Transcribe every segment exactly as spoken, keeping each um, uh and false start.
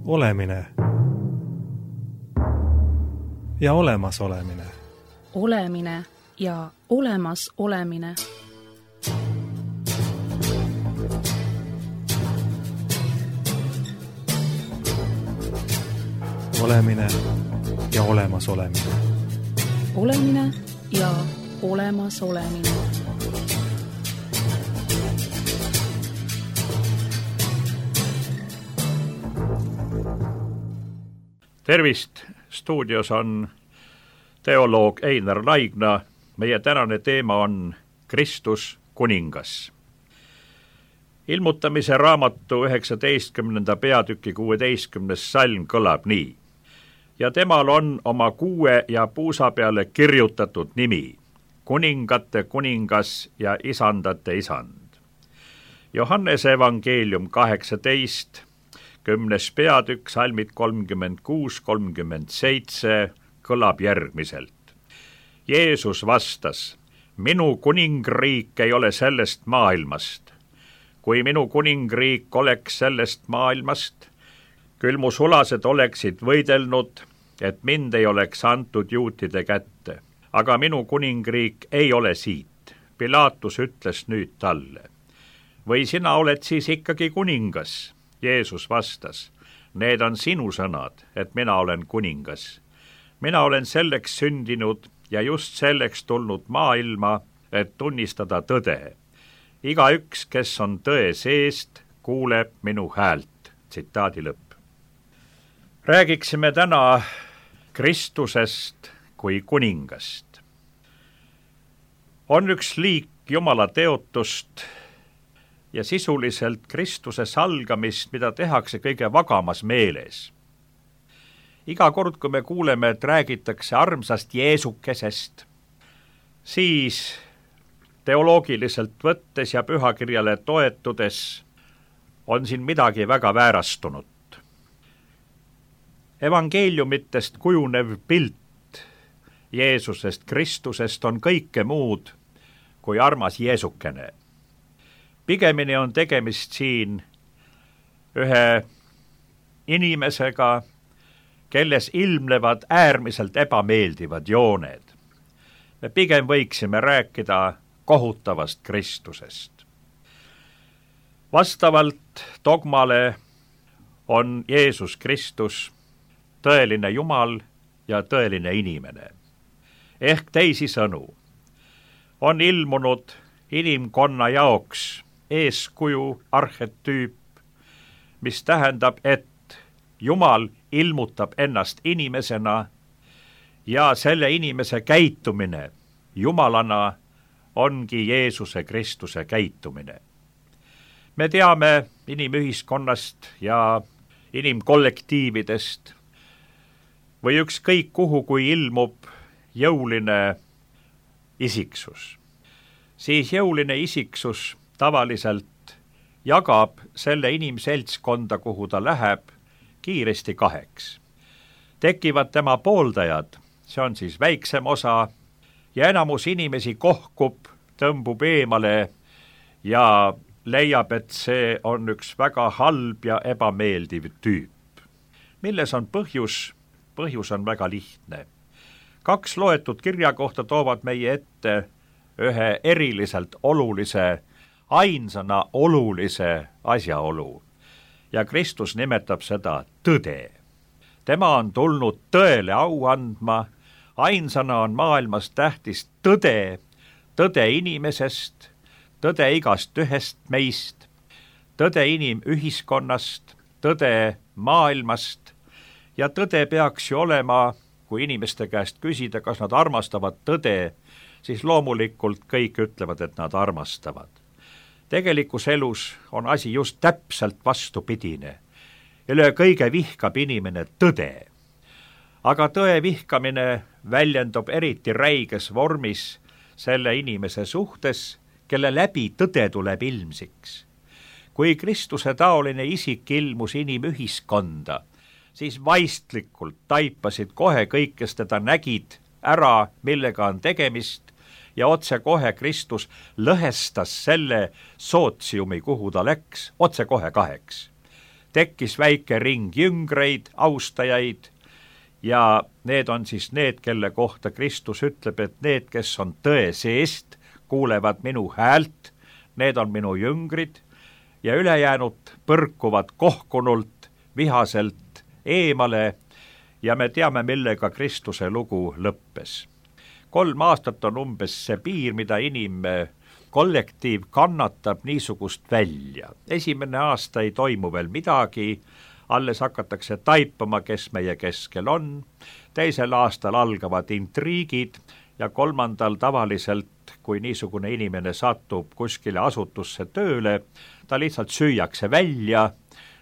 Olemine ja olemas olemine. Olemine ja olemas olemine. Olemine ja olemas olemine. Olemine ja olemas olemine. Tervist! Stuudios on teoloog Einar Laigna. Meie tänane teema on Kristus kuningas. Ilmutamise raamatu üheksateistkümnenda peatüki kuueteistkümnes salm kõlab nii. Ja temal on oma kuue ja puusa peale kirjutatud nimi, kuningate kuningas ja isandate isand. Johannese evangeelium kaheksateist, kümnes peatükk, salmid kolmkümmend kuus kolmkümmend seitse kõlab järgmiselt. Jeesus vastas, minu kuningriik ei ole sellest maailmast. Kui minu kuningriik oleks sellest maailmast, küll mu sulased oleksid võidelnud, et mind ei oleks antud juutide kätte. Aga minu kuningriik ei ole siit. Pilaatus ütles nüüd talle. Või sina oled siis ikkagi kuningas? Jeesus vastas, need on sinu sõnad, et mina olen kuningas. Mina olen selleks sündinud ja just selleks tulnud maailma, et tunnistada tõde. Igaüks, kes on tõe seest, kuuleb minu häält. Tsitaadi lõpp. Räägiksime täna Kristusest kui kuningast. On üks liik Jumala teotust ja sisuliselt Kristuse salgamist, mida tehakse kõige vagamas meeles. Iga kord, kui me kuuleme, et räägitakse armsast Jeesukesest, siis teoloogiliselt võttes ja pühakirjale toetudes on siin midagi väga väärastunud. Evangeeliumitest kujunev pilt Jeesusest, Kristusest on kõike muud kui armas Jeesukene. Pigemini on tegemist siin ühe inimesega, kelles ilmnevad äärmiselt ebameeldivad jooned. Me pigem võiksime rääkida kohutavast Kristusest. Vastavalt dogmale on Jeesus Kristus tõeline Jumal ja tõeline inimene. Ehk teisisõnu, on ilmunud inimkonna jaoks eeskuju arhetüüp, mis tähendab, et Jumal ilmutab ennast inimesena ja selle inimese käitumine Jumalana ongi Jeesuse Kristuse käitumine. Me teame inimühiskonnast ja inimkollektiividest või ükskõik kuhu, kui ilmub jõuline isiksus. Siis jõuline isiksus tavaliselt jagab selle inimseltskonda, kuhu ta läheb, kiiresti kaheks. Tekivad tema pooldajad, see on siis väiksem osa, ja enamus inimesi kohkub, tõmbub eemale ja leiab, et see on üks väga halb ja ebameeldiv tüüp. Milles on põhjus? Põhjus on väga lihtne. Kaks loetud kirja kohta toovad meie ette ühe eriliselt olulise, ainsana olulise asjaolu. Ja Kristus nimetab seda tõde. Tema on tulnud tõele au andma, ainsana on maailmas tähtis tõde, tõde inimesest, tõde igast ühest meist, tõde inimühiskonnast, tõde maailmast ja tõde peaks ju olema, kui inimeste käest küsida, kas nad armastavad tõde, siis loomulikult kõik ütlevad, et nad armastavad. Tegelikus elus on asi just täpselt vastupidine. Üle kõige vihkab inimene tõde. Aga tõe vihkamine väljendub eriti räiges vormis selle inimese suhtes, kelle läbi tõde tuleb ilmsiks. Kui Kristuse taoline isik ilmus inimühiskonda, siis vaistlikult taipasid kohe kõik, kes teda nägid ära, millega on tegemist, ja otse kohe Kristus lõhestas selle sootsiumi, kuhu ta läks, otse kohe kaheks. tekkis väike ring jüngreid, austajaid ja need on siis need, kelle kohta Kristus ütleb, et need, kes on tõe seest, kuulevad minu häält, need on minu jüngrid ja ülejäänud põrkuvad kohkunult, vihaselt eemale ja me teame, millega Kristuse lugu lõppes. Kolm aastat on umbes see piir, mida inimkollektiiv kannatab niisugust välja. Esimene aasta ei toimu veel midagi, alles hakatakse taipama, kes meie keskel on. Teisel aastal algavad intriigid ja kolmandal tavaliselt, kui niisugune inimene satub kuskile asutusse tööle, ta lihtsalt süüakse välja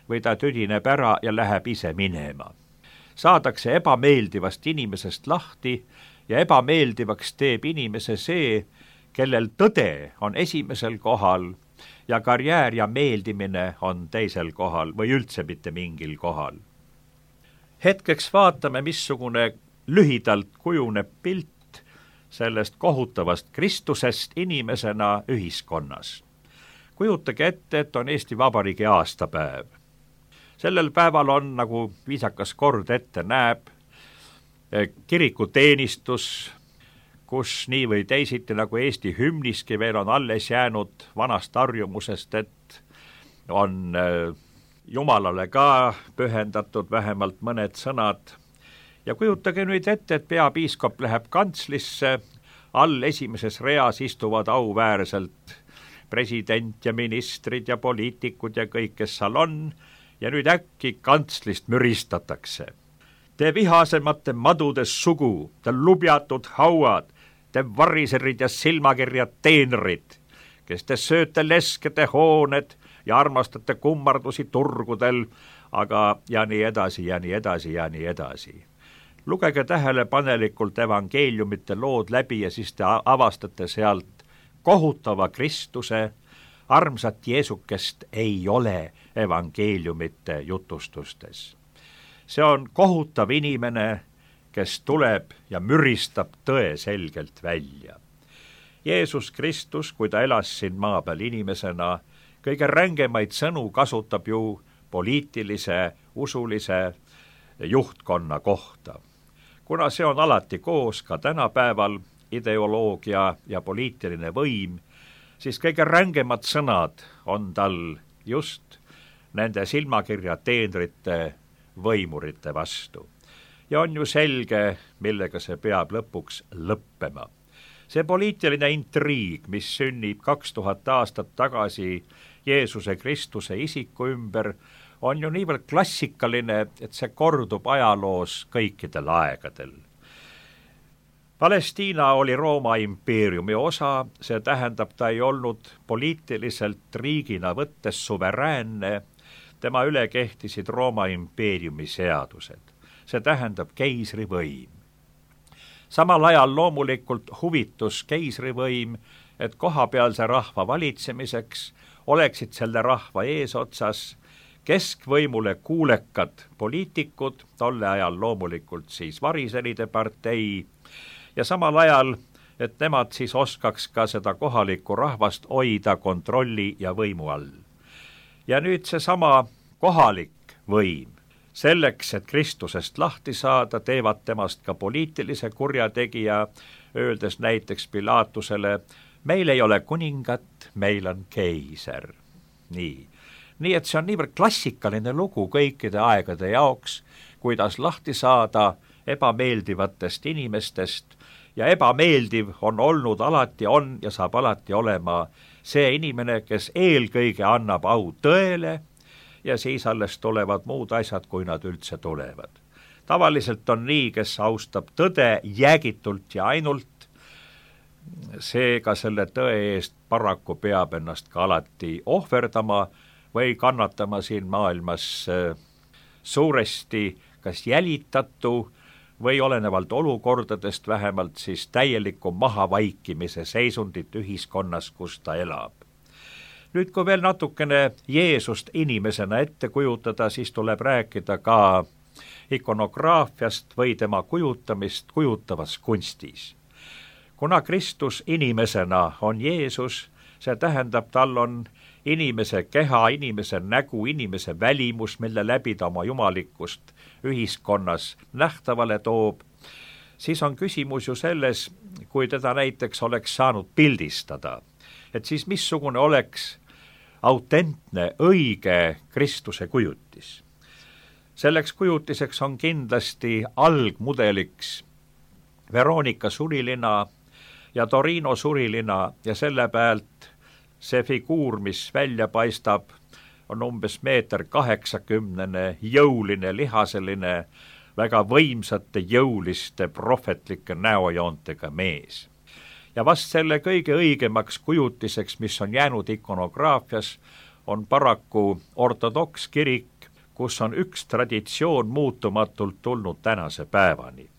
või ta tüdineb ära ja läheb ise minema. Saadakse ebameeldivast inimesest lahti ja ebameeldivaks teeb inimese see, kellel tõde on esimesel kohal ja karjäär ja meeldimine on teisel kohal või üldse mitte mingil kohal. Hetkeks vaatame, missugune lühidalt kujuneb pilt sellest kohutavast Kristusest inimesena ühiskonnas. Kujutage ette, et on Eesti Vabariigi aastapäev. Sellel päeval on, nagu viisakas kord ette näeb, kirikuteenistus, kus nii või teisiti, nagu Eesti hümniski veel on alles jäänud vanast harjumusest, et on Jumalale ka pühendatud vähemalt mõned sõnad. Ja kujutage nüüd ette, et peapiiskop läheb kantslisse, all esimeses reas istuvad auväärselt president ja ministrid ja poliitikud ja kõik, kes seal on, ja nüüd äkki kantslist müristatakse. Te vihasemate madudes sugu, te lubjatud hauad, te variserid ja silmakirjad teenrid, kes te sööte leskede hooned ja armastate kummardusi turgudel, aga ja nii edasi ja nii edasi ja nii edasi. Lugege tähelepanelikult evangeeliumite lood läbi ja siis te avastate sealt kohutava Kristuse, armsat Jeesukest ei ole evangeeliumite jutustustes. See on kohutav inimene, kes tuleb ja müristab tõe selgelt välja. Jeesus Kristus, kui ta elas siin maa peal inimesena, kõige rängemaid sõnu kasutab ju poliitilise, usulise juhtkonna kohta. Kuna see on alati koos ka tänapäeval, ideoloogia ja poliitiline võim, siis kõige rängemad sõnad on tal just nende silmakirja teenrite võimurite vastu. Ja on ju selge, millega see peab lõpuks lõppema. See poliitiline intriig, mis sünnib kaks tuhat aastat tagasi Jeesuse Kristuse isiku ümber, on ju niivõrd klassikaline, et see kordub ajaloos kõikidel aegadel. Palestiina oli Rooma impeeriumi osa, see tähendab, ta ei olnud poliitiliselt riigina võttes suveräänne, tema üle kehtisid Rooma impeeriumi seadused. See tähendab keisrivõim. Samal ajal loomulikult huvitus keisrivõim, et kohapealse rahva valitsemiseks oleksid selle rahva eesotsas keskvõimule kuulekad poliitikud, tolle ajal loomulikult siis variseride partei, ja samal ajal, et nemad siis oskaks ka seda kohalikku rahvast hoida kontrolli ja võimu all. Ja nüüd seesama kohalik võim, selleks, et Kristusest lahti saada, teevad temast ka poliitilise kurjategija, öeldes näiteks Pilatusele, meil ei ole kuningat, meil on keiser. Nii. Nii et see on niivõrd klassikaline lugu kõikide aegade jaoks, kuidas lahti saada ebameeldivatest inimestest, ja ebameeldiv on olnud alati on ja saab alati olema see inimene, kes eelkõige annab au tõele ja siis alles tulevad muud asjad, kui nad üldse tulevad. Tavaliselt on nii, kes austab tõde jäägitult ja ainult, seega selle tõe eest paraku peab ennast ka alati ohverdama või kannatama siin maailmas suuresti kas jälitatu või olenevalt olukordadest vähemalt siis täieliku mahavaikimise seisundit ühiskonnas, kus ta elab. Nüüd, kui veel natukene Jeesust inimesena ette kujutada, siis tuleb rääkida ka ikonograafiast või tema kujutamist kujutavas kunstis. Kuna Kristus inimesena on Jeesus, see tähendab, tal on inimese keha, inimese nägu, inimese välimus, mille läbi ta oma jumalikkust ühiskonnas nähtavale toob, siis on küsimus ju selles, kui teda näiteks oleks saanud pildistada, et siis missugune oleks autentne, õige Kristuse kujutis. Selleks kujutiseks on kindlasti algmudeliks Veronika surilina ja Torino surilina ja selle pealt see figuur, mis välja paistab, on umbes meeter kaheksakümnene, jõuline, lihaseline, väga võimsate, jõuliste, prohvetlike näojoontega mees. Ja vast selle kõige õigemaks kujutiseks, mis on jäänud ikonograafias, on paraku ortodokskirik, kus on üks traditsioon muutumatult tulnud tänase päevani.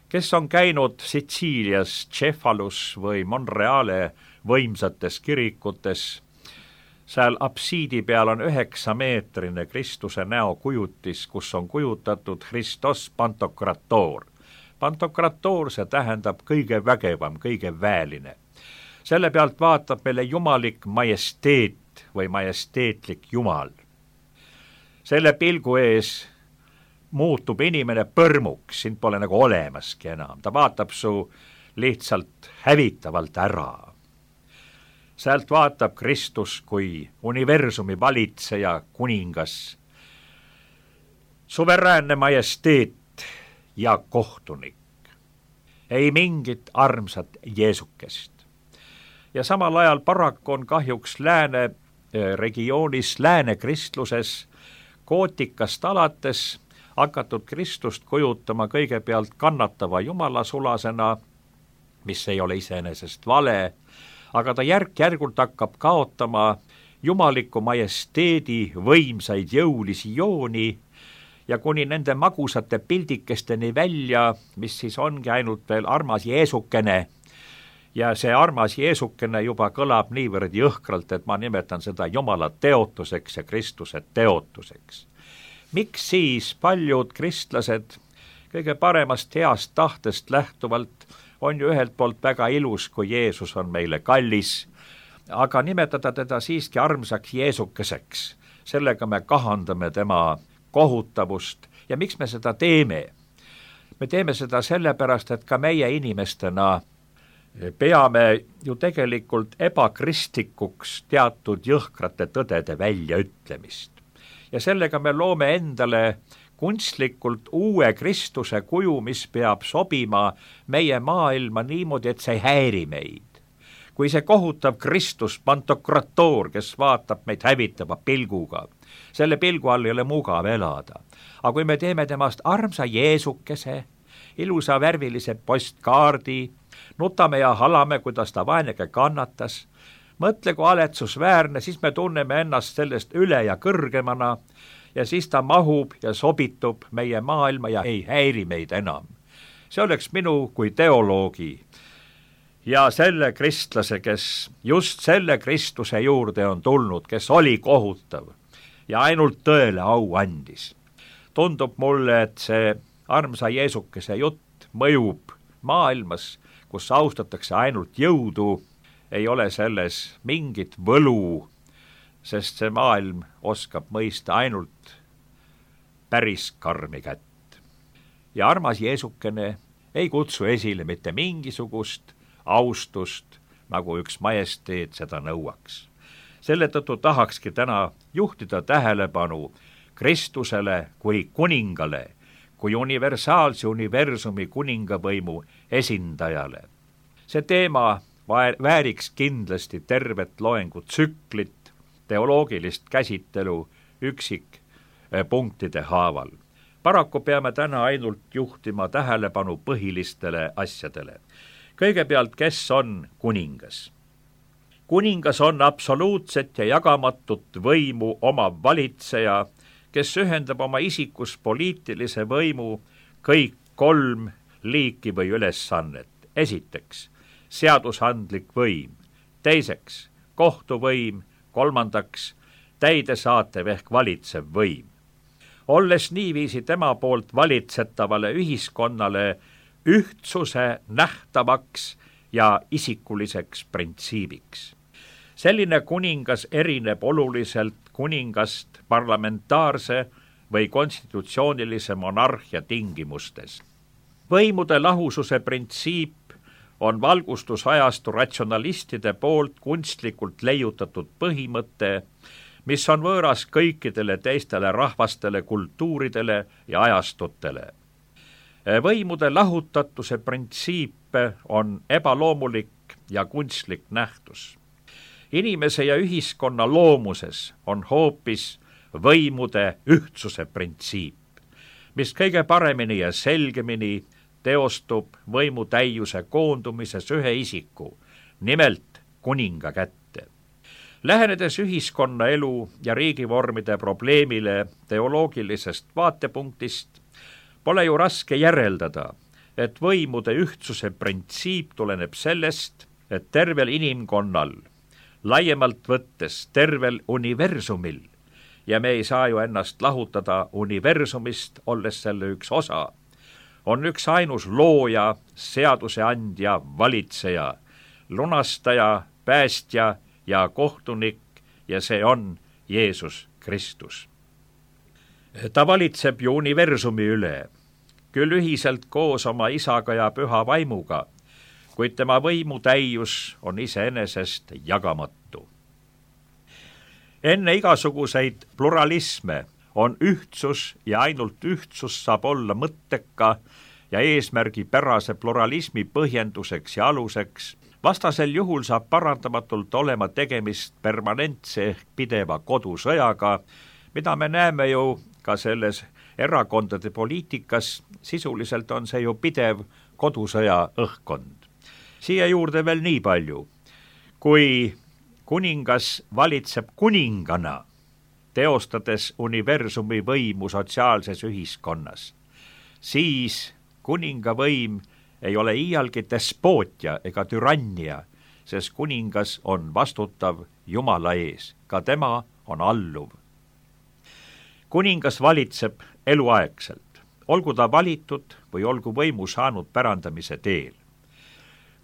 Kes on käinud Sitsiilias, Cefalus või Monreale võimsates kirikutes, seal apsiidi peal on üheksameetrine Kristuse näokujutis, kus on kujutatud Christos Pantokrator. Pantokrator, see tähendab kõige vägevam, kõige väeline. Selle pealt vaatab meile jumalik majesteet või majesteetlik jumal. Selle pilgu ees muutub inimene põrmuks, sind pole nagu olemaski enam. Ta vaatab su lihtsalt hävitavalt ära. Sealt vaatab Kristus kui universumi valitseja, kuningas, suveräänne majesteet ja kohtunik. Ei mingit armsat Jeesukest. Ja samal ajal paraku on kahjuks lääne regioonis, lääne kristluses, gootikast alates hakatud Kristust kujutama kõigepealt kannatava jumalasulasena, mis ei ole iseenesest vale, aga ta järk-järgult hakkab kaotama jumaliku majesteedi võimsaid jõulisi jooni ja kuni nende magusate pildikesteni välja, mis siis ongi ainult veel armas Jeesukene. Ja see armas Jeesukene juba kõlab niivõrd jõhkralt, et ma nimetan seda Jumala teotuseks ja Kristuse teotuseks. Miks siis paljud kristlased kõige paremast heast tahtest lähtuvalt on ju ühelt poolt väga ilus, kui Jeesus on meile kallis, aga nimetada teda siiski armsaks Jeesukeseks, sellega me kahandame tema kohutavust ja miks me seda teeme? Me teeme seda sellepärast, et ka meie inimestena peame ju tegelikult ebakristlikuks teatud jõhkrate tõdede väljaütlemist. Ja sellega me loome endale kunstlikult uue Kristuse kuju, mis peab sobima meie maailma niimoodi, et see ei häiri meid. Kui see kohutav Kristus, Pantokrator, kes vaatab meid hävitava pilguga, selle pilgu all ei ole mugav elada. Aga kui me teeme temast armsa Jeesukese, ilusa värvilise postkaardi, nutame ja halame, kuidas ta vaenega kannatas, mõtle kui aletsusväärne, siis me tunneme ennast sellest üle ja kõrgemana ja siis ta mahub ja sobitub meie maailma ja ei häiri meid enam. See oleks minu kui teoloogi ja selle kristlase, kes just selle Kristuse juurde on tulnud, kes oli kohutav ja ainult tõele au andis. Tundub mulle, et see armsa Jeesukese jutt mõjub maailmas, kus austatakse ainult jõudu, ei ole selles mingit võlu, sest see maailm oskab mõista ainult päris karmi kätt. Ja armas Jeesukene ei kutsu esile mitte mingisugust austust, nagu üks majesteet seda nõuaks. Selle tõttu tahakski täna juhtida tähelepanu Kristusele kui kuningale, kui universaalse universumi kuningavõimu esindajale. See teema vääriks kindlasti tervet loengutsüklit, teoloogilist käsitelu üksikpunktide haaval. Paraku peame täna ainult juhtima tähelepanu põhilistele asjadele. Kõigepealt, kes on kuningas? Kuningas on absoluutset ja jagamatut võimu omav valitseja, kes ühendab oma isikus poliitilise võimu kõik kolm liiki või ülesannet. Esiteks, seadusandlik võim, teiseks, kohtuvõim, kolmandaks, täidesaatev ehk valitsev võim. Olles niiviisi tema poolt valitsetavale ühiskonnale ühtsuse nähtavaks ja isikuliseks printsiibiks. selline kuningas erineb oluliselt kuningast parlamentaarse või konstitutsioonilise monarhia tingimustes. Võimude lahususe printsiip on valgustusajastu ratsionalistide poolt kunstlikult leiutatud põhimõte, mis on võõras kõikidele teistele rahvastele, kultuuridele ja ajastutele. Võimude lahutatuse printsiip on ebaloomulik ja kunstlik nähtus. Inimese ja ühiskonna loomuses on hoopis võimude ühtsuse printsiip, mis kõige paremini ja selgemini teostub võimu täiuse koondumises ühe isiku, nimelt kuninga kätte. Lähenedes ühiskonnaelu ja riigivormide probleemile teoloogilisest vaatepunktist, pole ju raske järeldada, et võimude ühtsuse printsiip tuleneb sellest, et tervel inimkonnal, laiemalt võttes tervel universumil, ja me ei saa ju ennast lahutada universumist, olles selle üks osa, on üks ainus looja, seaduseandja, valitseja, lunastaja, päästja ja kohtunik ja see on Jeesus Kristus. Ta valitseb ju universumi üle, küll ühiselt koos oma isaga ja püha vaimuga, kuid tema võimutäius on iseenesest jagamatu. Enne igasuguseid pluralisme on ühtsus ja ainult ühtsus saab olla mõtteka ja eesmärgipärase pluralismi põhjenduseks ja aluseks. Vastasel juhul saab parandamatult olema tegemist permanentse ehk pideva kodusõjaga, mida me näeme ju ka selles erakondade poliitikas, sisuliselt on see ju pidev kodusõja õhkkond. Siia juurde veel nii palju, kui kuningas valitseb kuningana, teostades universumi võimu sotsiaalses ühiskonnas, siis kuninga võim ei ole iialgi despootia ega türannia, sest kuningas on vastutav Jumala ees, ka tema on alluv. Kuningas valitseb eluaegselt, olgu ta valitud või olgu võimu saanud pärandamise teel.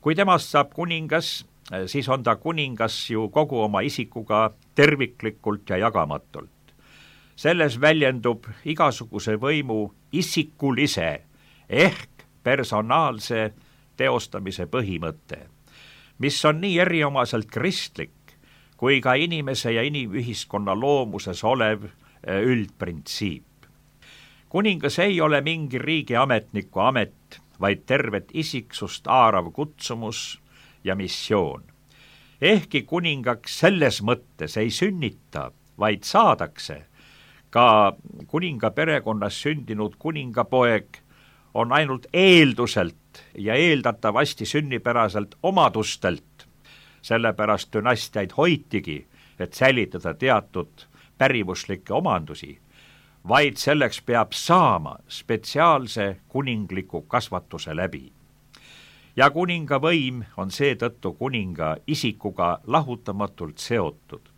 Kui temast saab kuningas, siis on ta kuningas ju kogu oma isikuga terviklikult ja jagamatult. Selles väljendub igasuguse võimu isikulise ehk personaalse teostamise põhimõte, mis on nii eriomaselt kristlik kui ka inimese ja inimühiskonna loomuses olev üldprintsiip. Kuningas ei ole mingi riigiametniku amet, vaid tervet isiksust haarav kutsumus ja missioon. Ehkki kuningaks selles mõttes ei sünnita, vaid saadakse, ka kuninga perekonnas sündinud kuningapoeg on ainult eelduselt ja eeldatavasti sünnipäraselt omadustelt, sellepärast dünastiaid hoitigi, et säilitada teatud pärivuslikke omandusi, vaid selleks peab saama spetsiaalse kuningliku kasvatuse läbi. Ja kuninga võim on seetõttu kuninga isikuga lahutamatult seotud,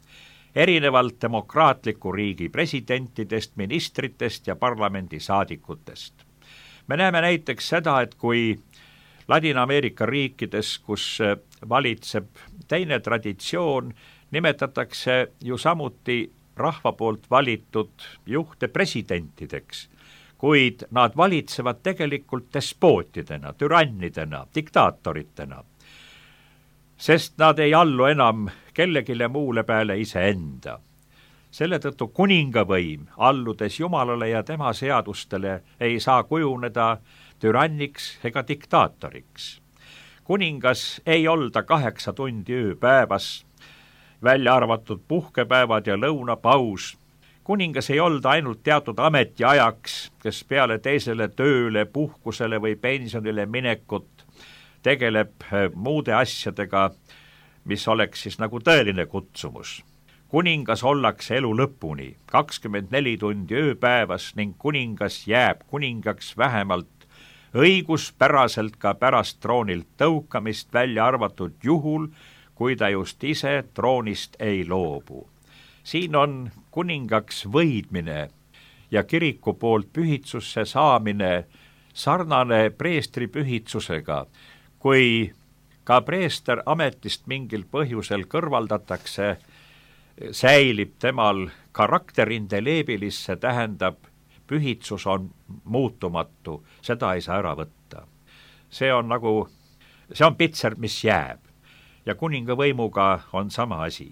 erinevalt demokraatliku riigi presidentidest, ministritest ja parlamendisaadikutest. Me näeme näiteks seda, et kui Ladina-Ameerika riikides, kus valitseb teine traditsioon, nimetatakse ju samuti rahva poolt valitud juhte presidentideks, kuid nad valitsevad tegelikult despootidena, türannidena, diktaatoritena, sest nad ei allu enam kellegile muule peale iseenda. Selle tõttu kuningavõim, alludes Jumalale ja tema seadustele, ei saa kujuneda türanniks ega diktaatoriks. Kuningas ei olda kaheksa tundi ööpäevas, välja arvatud puhkepäevad ja lõunapaus. Kuningas ei olda ainult teatud ametiajaks, kes peale teisele tööle, puhkusele või pensionile minekut tegeleb muude asjadega, mis oleks siis nagu tõeline kutsumus. Kuningas ollakse elu lõpuni, kakskümmend neli tundi ööpäevas ning kuningas jääb kuningaks vähemalt õiguspäraselt ka pärast troonilt tõukamist, välja arvatud juhul, kui ta just ise troonist ei loobu. Siin on kuningaks võidmine ja kiriku poolt pühitsusse saamine sarnane preestri pühitsusega, kui ka preester ametist mingil põhjusel kõrvaldatakse, säilib temal karakter indeleebilis, see tähendab, pühitsus on muutumatu, seda ei saa ära võtta. See on nagu, see on pitser, mis jääb. Ja kuninga võimuga on sama asi.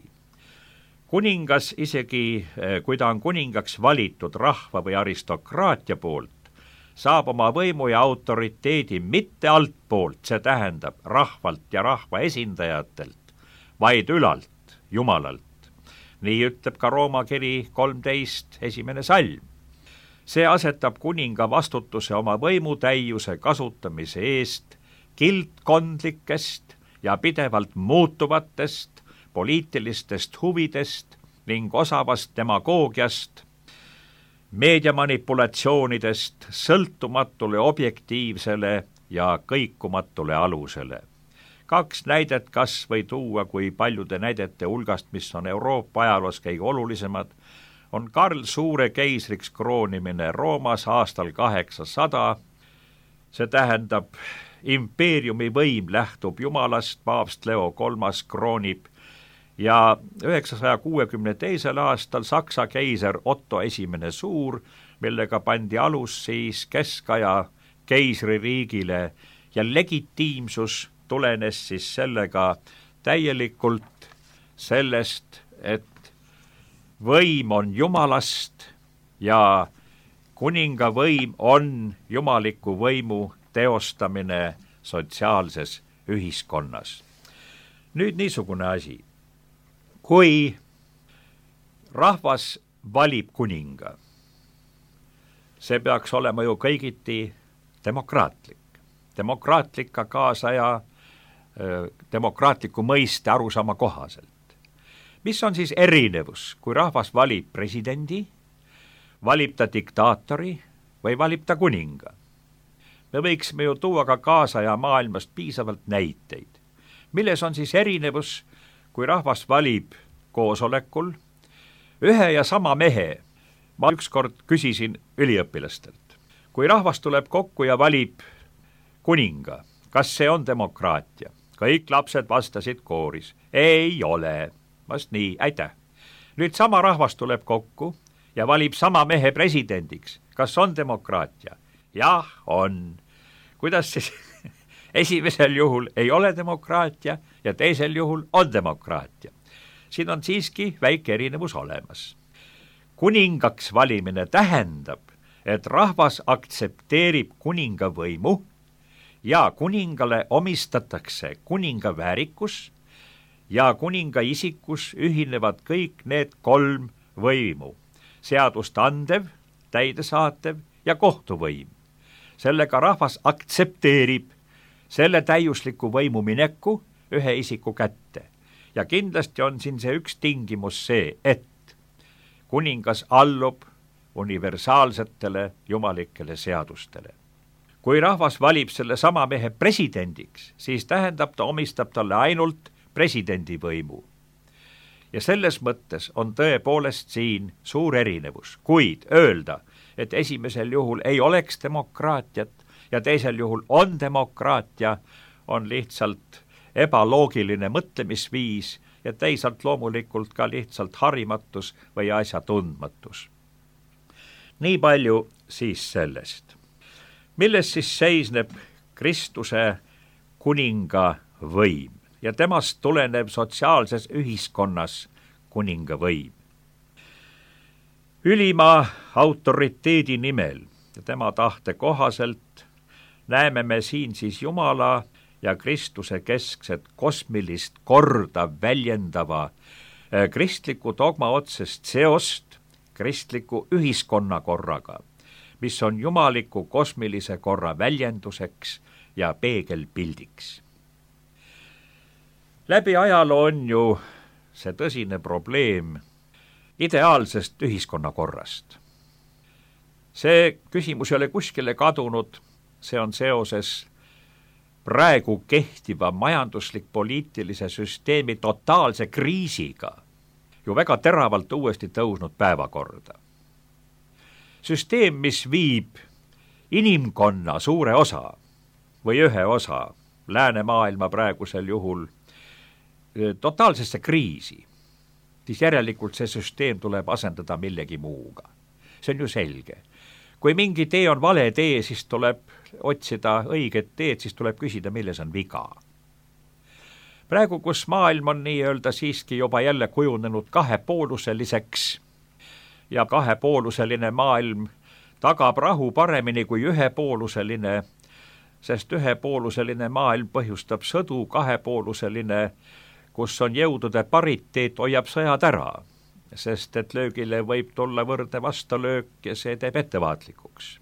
Kuningas isegi, kui ta on kuningaks valitud rahva või aristokraatia poolt, saab oma võimu ja autoriteedi mitte altpoolt, see tähendab rahvalt ja rahva esindajatelt, vaid ülalt, Jumalalt. Nii ütleb ka Rooma kiri kolmteist esimene salm. See asetab kuninga vastutuse oma võimutäiuse kasutamise eest kildkondlikest ja pidevalt muutuvatest poliitilistest huvidest ning osavast demagoogiast, meediamanipulatsioonidest sõltumatule objektiivsele ja kõikumatule alusele. Kaks näidet kas või tuua, kui paljude näidete hulgast, mis on Euroopa ajaloos kõige olulisemad, on Karl Suure keisriks kroonimine Roomas aastal kaheksasada. See tähendab, impeeriumi võim lähtub Jumalast, paavst Leo kolmas kroonib ja üheksasaja kuuekümne teisel aastal Saksa keiser Otto esimene suur, millega pandi alus siis keskaja keisririigile ja legitiimsus tulenes siis sellega täielikult sellest, et võim on Jumalast ja kuninga võim on jumaliku võimu teostamine sotsiaalses ühiskonnas. Nüüd niisugune asi. Kui rahvas valib kuninga, see peaks olema ju kõigiti demokraatlik. Demokraatlik ka kaasaja demokraatliku mõiste arusaama kohaselt. Mis on siis erinevus, kui rahvas valib presidendi, valib ta diktaatori või valib ta kuninga? Me võiksime ju tuua ka kaasaja maailmast piisavalt näiteid. Milles on siis erinevus, kui rahvas valib koosolekul ühe ja sama mehe? Ma ükskord küsisin üliõpilastelt. Kui rahvas tuleb kokku ja valib kuninga, kas see on demokraatia? Kõik lapsed vastasid kooris. Ei ole. Vast nii, aitäh. Nüüd sama rahvas tuleb kokku ja valib sama mehe presidendiks. Kas on demokraatia? Jah, on. Kuidas siis esimesel juhul ei ole demokraatia ja teisel juhul on demokraatia? Siin on siiski väike erinevus olemas. Kuningaks valimine tähendab, et rahvas aktsepteerib kuninga võimu ja kuningale omistatakse kuninga väärikus ja kuninga isikus ühinevad kõik need kolm võimu. Seadust andev, täidesaatev ja kohtuvõim. Sellega rahvas aktsepteerib selle täiusliku võimu mineku ühe isiku kätte. Ja kindlasti on siin see üks tingimus see, et kuningas allub universaalsetele jumalikele seadustele. Kui rahvas valib selle sama mehe presidendiks, siis tähendab ta omistab talle ainult presidendi võimu. Ja selles mõttes on tõepoolest siin suur erinevus, kuid öelda, et esimesel juhul ei oleks demokraatiat ja teisel juhul on demokraatia, on lihtsalt ebaloogiline mõtlemisviis ja teisalt loomulikult ka lihtsalt harimatus või asja tundmatus. Nii palju siis sellest. Milles siis seisneb Kristuse kuninga võim ja temast tulenev sotsiaalses ühiskonnas kuninga võim? Ülima autoriteedi nimel ja tema tahte kohaselt näeme me siin siis Jumala ja Kristuse keskset kosmilist korda väljendava kristliku dogma otsest seost kristliku ühiskonnakorraga, mis on jumaliku kosmilise korra väljenduseks ja peegelpildiks. Läbi ajaloo on ju see tõsine probleem ideaalsest ühiskonnakorrast. See küsimus ei ole kuskile kadunud, see on seoses praegu kehtiva majanduslik-poliitilise süsteemi totaalse kriisiga ju väga teravalt uuesti tõusnud päevakorda. Süsteem, mis viib inimkonna suure osa või ühe osa läänemaailma praegusel juhul totaalsesse kriisi, siis järelikult see süsteem tuleb asendada millegi muuga. See on ju selge. Kui mingi tee on vale tee, siis tuleb otsida õiget teed, siis tuleb küsida, milles on viga. Praegu, kus maailm on nii-öelda siiski juba jälle kujunenud kahepooluseliseks ja kahepooluseline maailm tagab rahu paremini kui ühepooluseline, sest ühepooluseline maailm põhjustab sõdu, kahepooluseline, kus on jõudude pariteet, hoiab sõjad ära, sest et löögile võib tulla võrdne vastalöök ja see teeb ettevaatlikuks.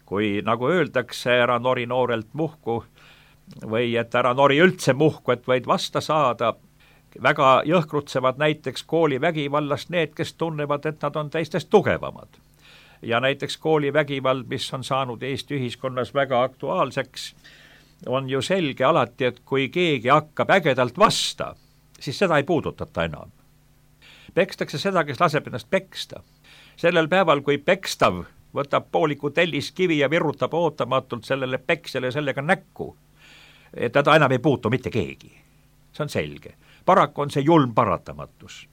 Kui nagu öeldakse, ära nori noorelt muhku või et ära nori üldse muhku, et võid vasta saada, väga jõhkrutsevad näiteks koolivägivallast need, kes tunnevad, et nad on teistest tugevamad. Ja näiteks koolivägivald, mis on saanud Eesti ühiskonnas väga aktuaalseks, on ju selge alati, et kui keegi hakkab ägedalt vasta, siis seda ei puudutata enam. Pekstakse seda, kes laseb ennast peksta. Sellel päeval, kui pekstav võtab pooliku telliskivi ja virutab ootamatult sellele peksjale sellega näkku, et teda enam ei puutu mitte keegi. See on selge. Paraku on see julm paratamatus.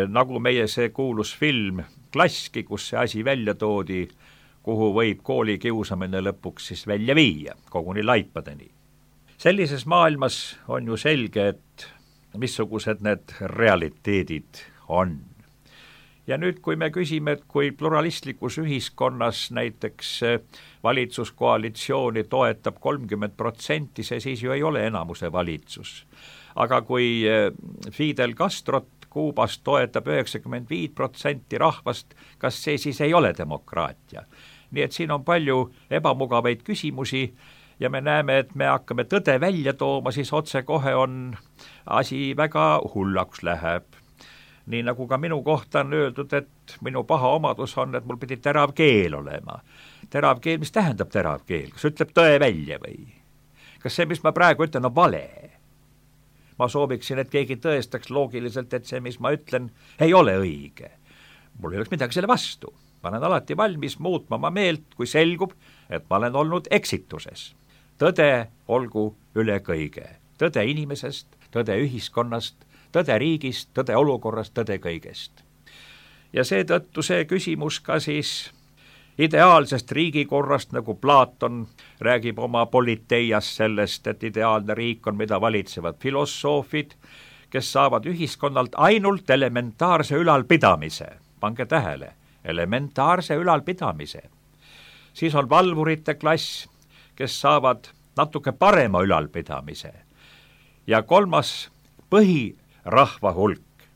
Nagu meie see kuulus film Klasski, kus see asi välja toodi, kuhu võib kooli kiusamine lõpuks siis välja viia, koguni laipadeni. Sellises maailmas on ju selge, et missugused need realiteedid on. Ja nüüd, kui me küsime, et kui pluralistlikus ühiskonnas näiteks valitsuskoalitsiooni toetab kolmkümmend protsenti, see siis ju ei ole enamuse valitsus. Aga kui Fidel Castrot Kuubast toetab üheksakümmend viis protsenti rahvast, kas see siis ei ole demokraatia? Nii et siin on palju ebamugavaid küsimusi ja me näeme, et me hakkame tõde välja tooma, siis otse kohe on asi väga hullaks läheb. Nii nagu ka minu kohta on öeldud, et minu paha omadus on, et mul pidi terav keel olema. Terav keel, mis tähendab terav keel? Kas ütleb tõe välja või? Kas see, mis ma praegu ütlen, on vale? Ma sooviksin, et keegi tõestaks loogiliselt, et see, mis ma ütlen, ei ole õige. Mul ei oleks midagi selle vastu. Ma olen alati valmis muutma oma meelt, kui selgub, et ma olen olnud eksituses. Tõde olgu üle kõige. Tõde inimesest, tõde ühiskonnast, tõde riigist, tõde olukorrast, tõde kõigest. Ja seetõttu see küsimus ka siis ideaalsest riigikorrast, nagu Platon räägib oma politeias sellest, et ideaalne riik on, mida valitsevad filosoofid, kes saavad ühiskonnalt ainult elementaarse ülalpidamise. Pange tähele, elementaarse ülalpidamise. Siis on valvurite klass, kes saavad natuke parema ülalpidamise. Ja kolmas põhirahva hulk,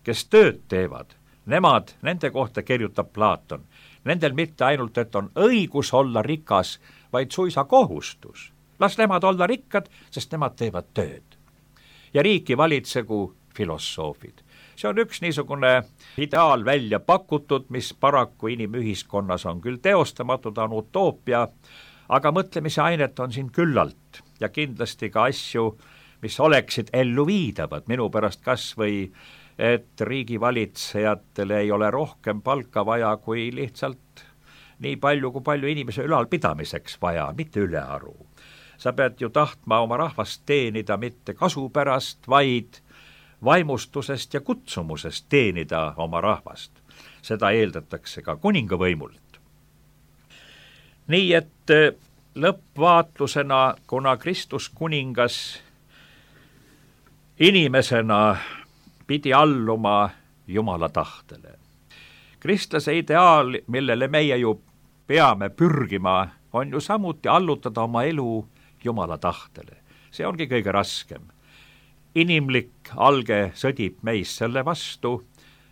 kes tööd teevad, nemad, nende kohta kirjutab Platon. Nendel mitte ainult, et on õigus olla rikas, vaid suisa kohustus. Las nemad olla rikkad, sest nemad teevad tööd. Ja riiki valitsegu filosoofid. See on üks niisugune ideaal välja pakutud, mis paraku inimühiskonnas on küll teostamatud, on utoopia, aga mõtlemise ainet on siin küllalt ja kindlasti ka asju, mis oleksid ellu viidavad, minu pärast kas või et riigivalitsejatel ei ole rohkem palka vaja kui lihtsalt nii palju, kui palju inimese ülalpidamiseks vaja, mitte ülearu. Sa pead ju tahtma oma rahvast teenida mitte kasu pärast, vaid vaimustusest ja kutsumusest teenida oma rahvast. Seda eeldatakse ka kuningavõimult. Nii et lõppvaatlusena, kuna Kristus kuningas inimesena pidi alluma Jumala tahtele. Kristlase ideaal, millele meie ju peame pürgima, on ju samuti allutada oma elu Jumala tahtele. See ongi kõige raskem. Inimlik alge sõdib meis selle vastu,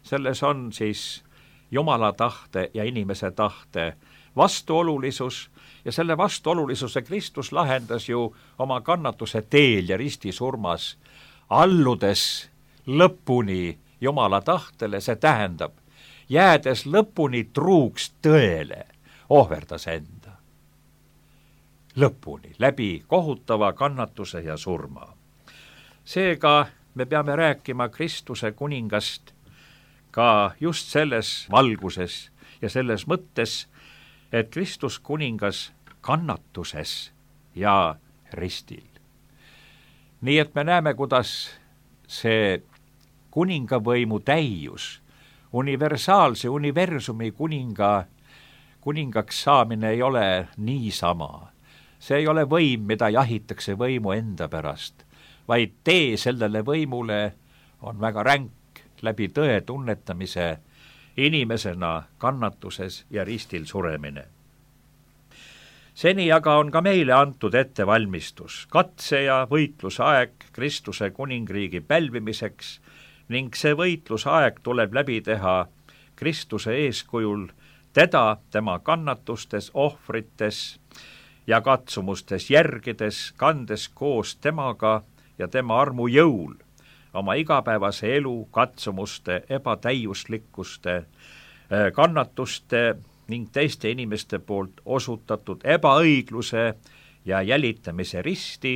selles on siis Jumala tahte ja inimese tahte vastuolulisus ja selle vastuolulisuse Kristus lahendas ju oma kannatuse teel ja ristisurmas, alludes lõpuni Jumala tahtele, see tähendab, jäädes lõpuni truuks tõele, ohverdas enda. Lõpuni, läbi kohutava kannatuse ja surma. Seega me peame rääkima Kristuse kuningast ka just selles valguses ja selles mõttes, et Kristus kuningas kannatuses ja ristil. nii et me näeme, kuidas see kuningavõimu täius, universaalse universumi kuninga, kuningaks saamine ei ole niisama. see ei ole võim, mida jahitakse võimu enda pärast, vaid tee sellele võimule on väga ränk läbi tõe tunnetamise, inimesena kannatuses ja ristil suremine. seni aga on ka meile antud ettevalmistus, katse ja võitlusaeg Kristuse kuningriigi pälvimiseks ning see võitlusaeg tuleb läbi teha Kristuse eeskujul, teda tema kannatustes, ohvrites ja katsumustes järgides, kandes koos temaga ja tema armu jõul oma igapäevase elu, katsumuste, ebatäiuslikkuste, kannatuste ning teiste inimeste poolt osutatud ebaõigluse ja jälitamise risti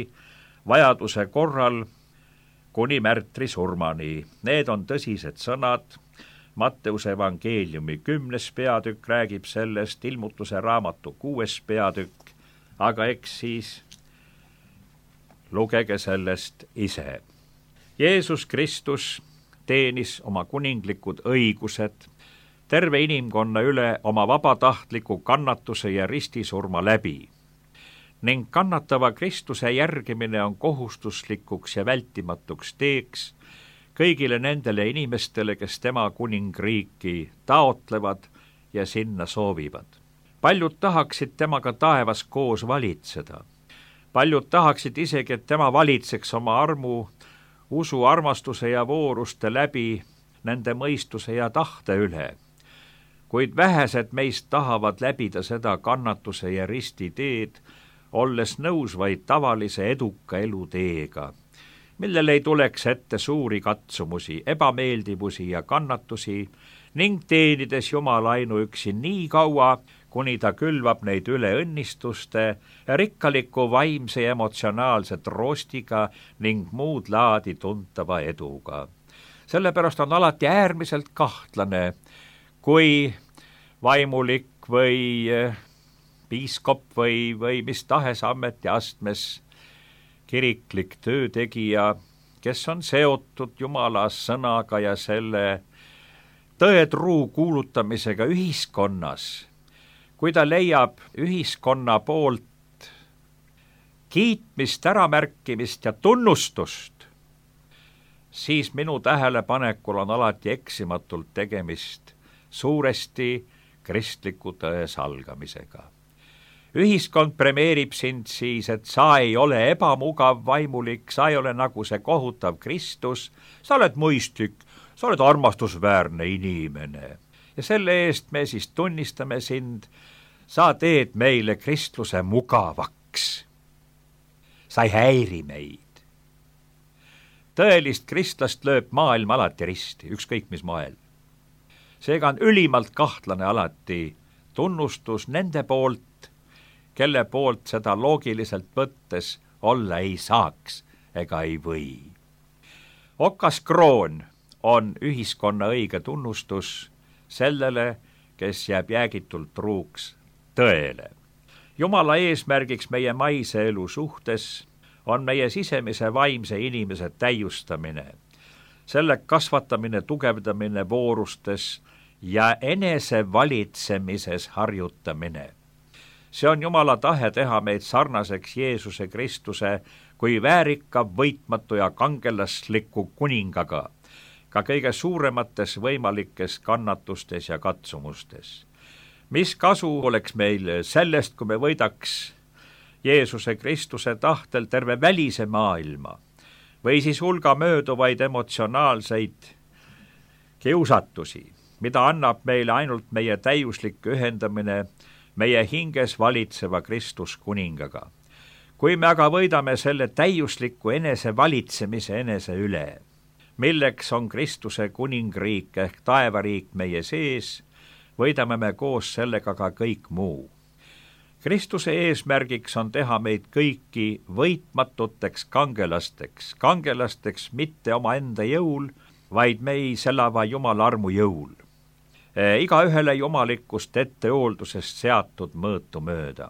vajaduse korral kuni märtri surmani. Need on tõsised sõnad. Matteuse evangeeliumi kümnes peatükk räägib sellest, Ilmutuse raamatu kuues peatükk, aga eks siis lugege sellest ise. Jeesus Kristus teenis oma kuninglikud õigused terve inimkonna üle oma vabatahtliku kannatuse ja ristisurma läbi ning kannatava Kristuse järgimine on kohustuslikuks ja vältimatuks teeks kõigile nendele inimestele, kes tema kuningriiki taotlevad ja sinna soovivad. Paljud tahaksid temaga taevas koos valitseda. Paljud tahaksid isegi, et tema valitseks oma armu, usu, armastuse ja vooruste läbi nende mõistuse ja tahte üle. Kuid vähesed meist tahavad läbida seda kannatuse ja risti teed, olles nõus vaid tavalise eduka eluteega, millel ei tuleks ette suuri katsumusi, ebameeldivusi ja kannatusi ning teenides Jumala ainuüksi nii kaua, kuni ta külvab neid üle õnnistuste ja rikkaliku vaimse ja emotsionaalse troostiga ning muud laadi tuntava eduga. Sellepärast on alati äärmiselt kahtlane, kui vaimulik või piiskop või, või mis tahes ametiastmes kiriklik töötegija, kes on seotud Jumala sõnaga ja selle tõetruu kuulutamisega ühiskonnas, kui ta leiab ühiskonna poolt kiitmist, äramärkimist ja tunnustust, siis minu tähelepanekul on alati eksimatult tegemist suuresti kristliku tõe salgamisega. Ühiskond premeerib sind siis, et sa ei ole ebamugav vaimulik, sa ei ole nagu see kohutav Kristus, sa oled mõistlik, sa oled armastusväärne inimene. Ja selle eest me siis tunnistame sind, sa teed meile kristluse mugavaks. Sa ei häiri meid. Tõelist kristlast lööb maailm alati risti, ükskõik mis moel. Seega on ülimalt kahtlane alati tunnustus nende poolt, kelle poolt seda loogiliselt võttes olla ei saaks ega ei või. Okas kroon on ühiskonna õige tunnustus sellele, kes jääb jäägitult truuks tõele. Jumala eesmärgiks meie maise elu suhtes on meie sisemise vaimse inimese täiustamine, selle kasvatamine, tugevdamine voorustes ja enese valitsemises harjutamine. See on Jumala tahe teha meid sarnaseks Jeesuse Kristuse kui väärika, võitmatu ja kangelasliku kuningaga, ka kõige suuremates võimalikes kannatustes ja katsumustes. Mis kasu oleks meil sellest, kui me võidaks Jeesuse Kristuse tahtel terve välise maailma või siis hulga mööduvaid emotsionaalseid kiusatusi, mida annab meile ainult meie täiuslik ühendamine meie hinges valitseva Kristus kuningaga. Kui me aga võidame selle täiusliku enese valitsemise enese üle, milleks on Kristuse kuningriik ehk taevariik meie sees, võidame me koos sellega ka kõik muu. Kristuse eesmärgiks on teha meid kõiki võitmatuteks kangelasteks, kangelasteks mitte oma enda jõul, vaid meis elava Jumala armu jõul. Iga ühele jumalikust ettehooldusest seatud mõõtu mööda.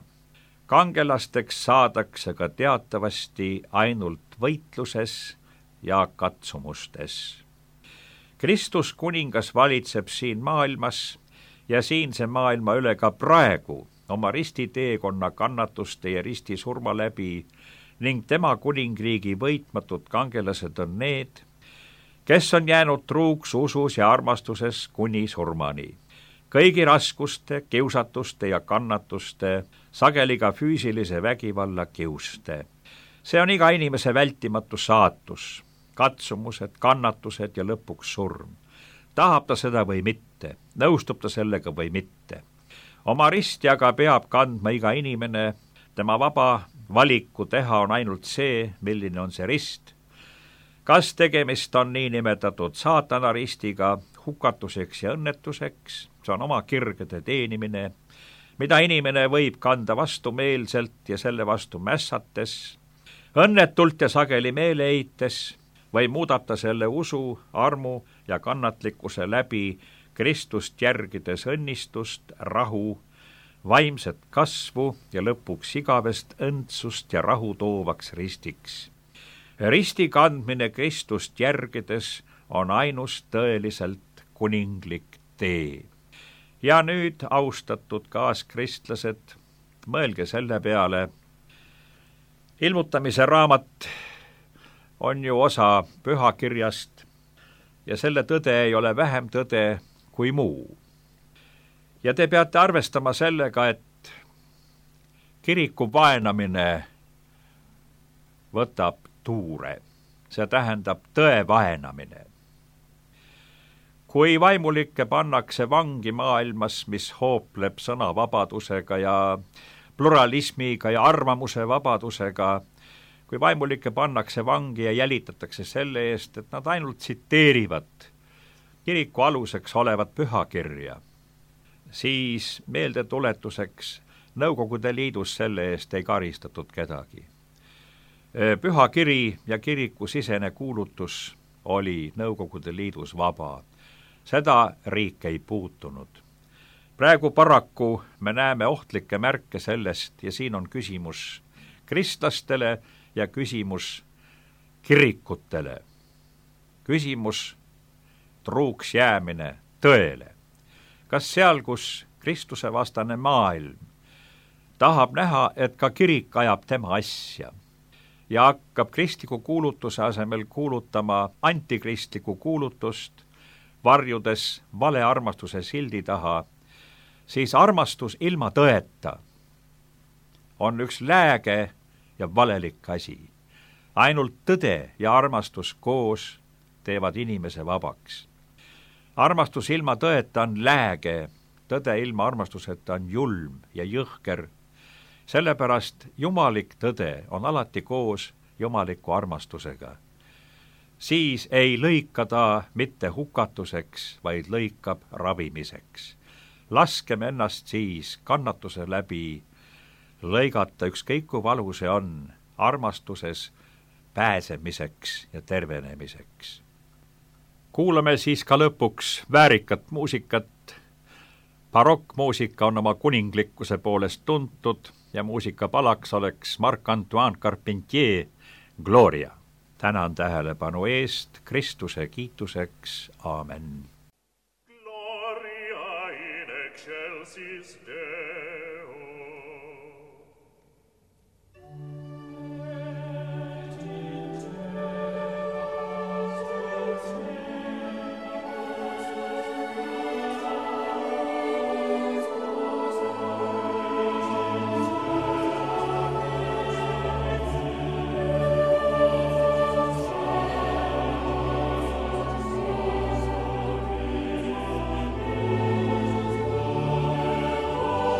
kangelasteks saadakse ka teatavasti ainult võitluses ja katsumustes. Kristus kuningas valitseb siin maailmas ja siinse maailma üle ka praegu oma ristiteekonna kannatuste ja ristisurma läbi ning tema kuningriigi võitmatud kangelased on need, kes on jäänud truuks usus ja armastuses kuni surmani. Kõigi raskuste, kiusatuste ja kannatuste, sageli ka füüsilise vägivalla kiuste. See on iga inimese vältimatu saatus, katsumused, kannatused ja lõpuks surm. Tahab ta seda või mitte, nõustub ta sellega või mitte. Oma risti aga peab kandma iga inimene, tema vaba valiku teha on ainult see, milline on see rist. Kas tegemist on niinimetatud saatana ristiga hukatuseks ja õnnetuseks, see on oma kirgede teenimine, mida inimene võib kanda vastumeelselt ja selle vastu mässates, õnnetult ja sageli meele heites, või muudata selle usu, armu ja kannatlikkuse läbi Kristust järgides õnnistust, rahu, vaimset kasvu ja lõpuks igavest õndsust ja rahu toovaks ristiks. Risti kandmine Kristust järgides on ainus tõeliselt kuninglik tee. Ja nüüd, austatud kaaskristlased, mõelge selle peale, ilmutamise raamat on ju osa pühakirjast ja selle tõde ei ole vähem tõde kui muu. Ja te peate arvestama sellega, et kiriku vaenamine võtab tuure, see tähendab tõe vaenamine. Kui vaimulikke pannakse vangi maailmas, mis hoopleb sõnavabadusega ja pluralismiga ja arvamuse vabadusega, kui vaimulikke pannakse vangi ja jälitatakse selle eest, et nad ainult tsiteerivad kiriku aluseks olevat pühakirja, siis meeldetuletuseks Nõukogude Liidus selle eest ei karistatud kedagi. Pühakiri ja kiriku sisene kuulutus oli Nõukogude Liidus vaba. Seda riik ei puutunud. Praegu paraku me näeme ohtlikke märke sellest ja siin on küsimus kristlastele ja küsimus kirikutele. Küsimus truuks jäämine tõele. Kas seal, kus Kristuse vastane maailm tahab näha, et ka kirik ajab tema asja ja hakkab kristliku kuulutuse asemel kuulutama antikristliku kuulutust, varjudes vale armastuse sildi taha, siis armastus ilma tõeta on üks lääge ja valelik asi. Ainult tõde ja armastus koos teevad inimese vabaks. Armastus ilma tõeta on lääge, tõde ilma armastuseta on julm ja jõhker. Sellepärast jumalik tõde on alati koos jumaliku armastusega. Siis ei lõika ta mitte hukatuseks, vaid lõikab ravimiseks. Laskem ennast siis kannatuse läbi lõigata ükskõik kui valu see on armastuses pääsemiseks ja tervenemiseks. Kuulame siis ka lõpuks väärikat muusikat. Barokkmuusika on oma kuninglikkuse poolest tuntud ja muusikapalaks oleks Marc-Antoine Carpentier Gloria. Tänan tähelepanu eest, Kristuse kiituseks, aamen. Gloria in excelsis Deo.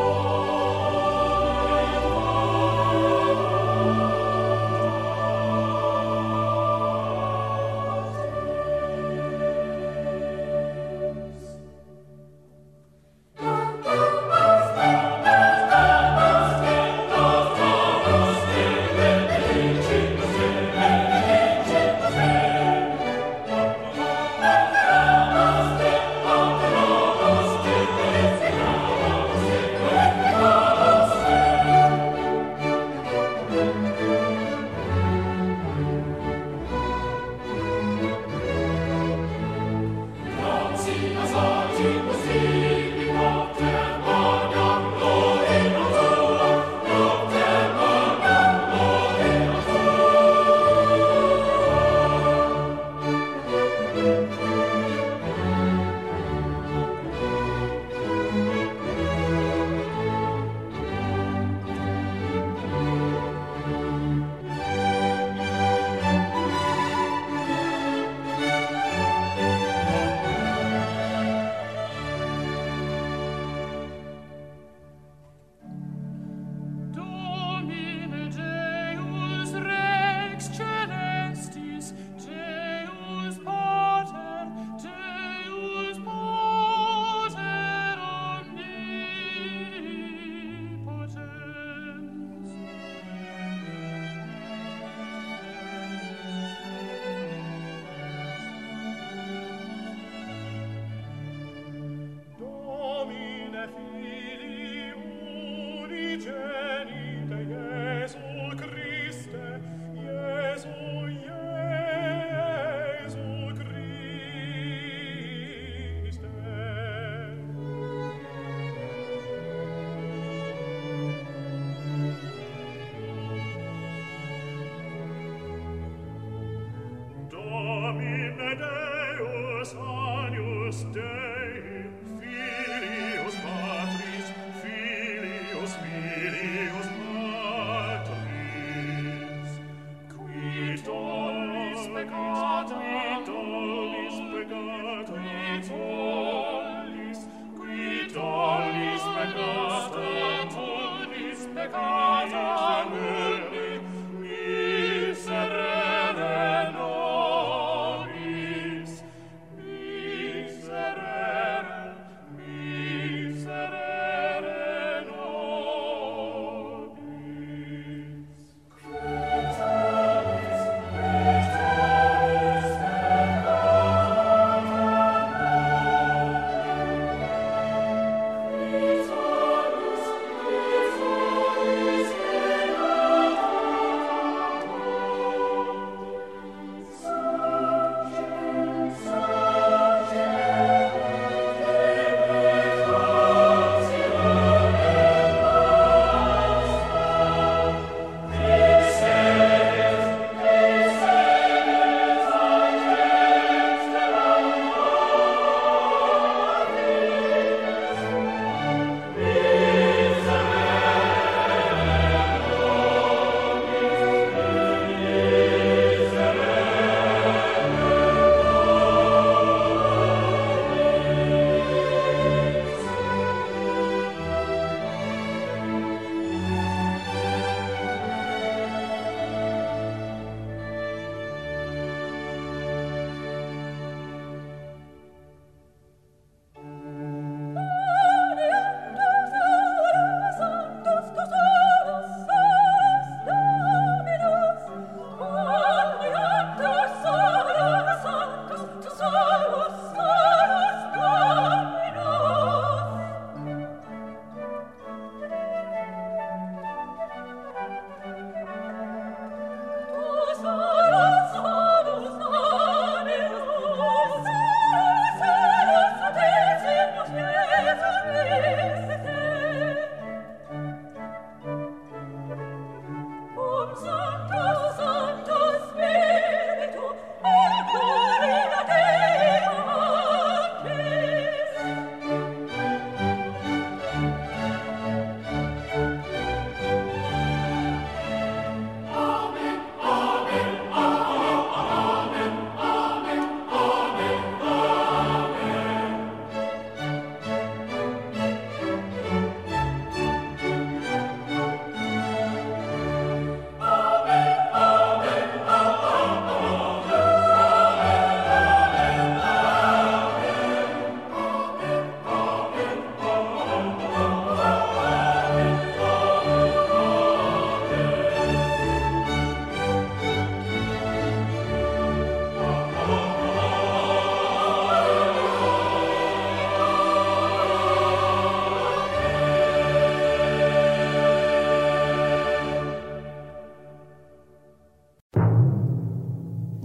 Oh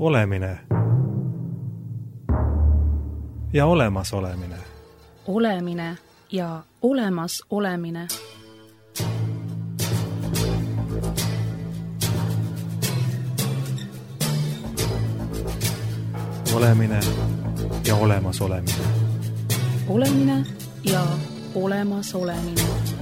Olemine ja olemasolemine. Olemine ja olemas olemine. Olemine ja olemas olemine. Olemine ja olemas olemine.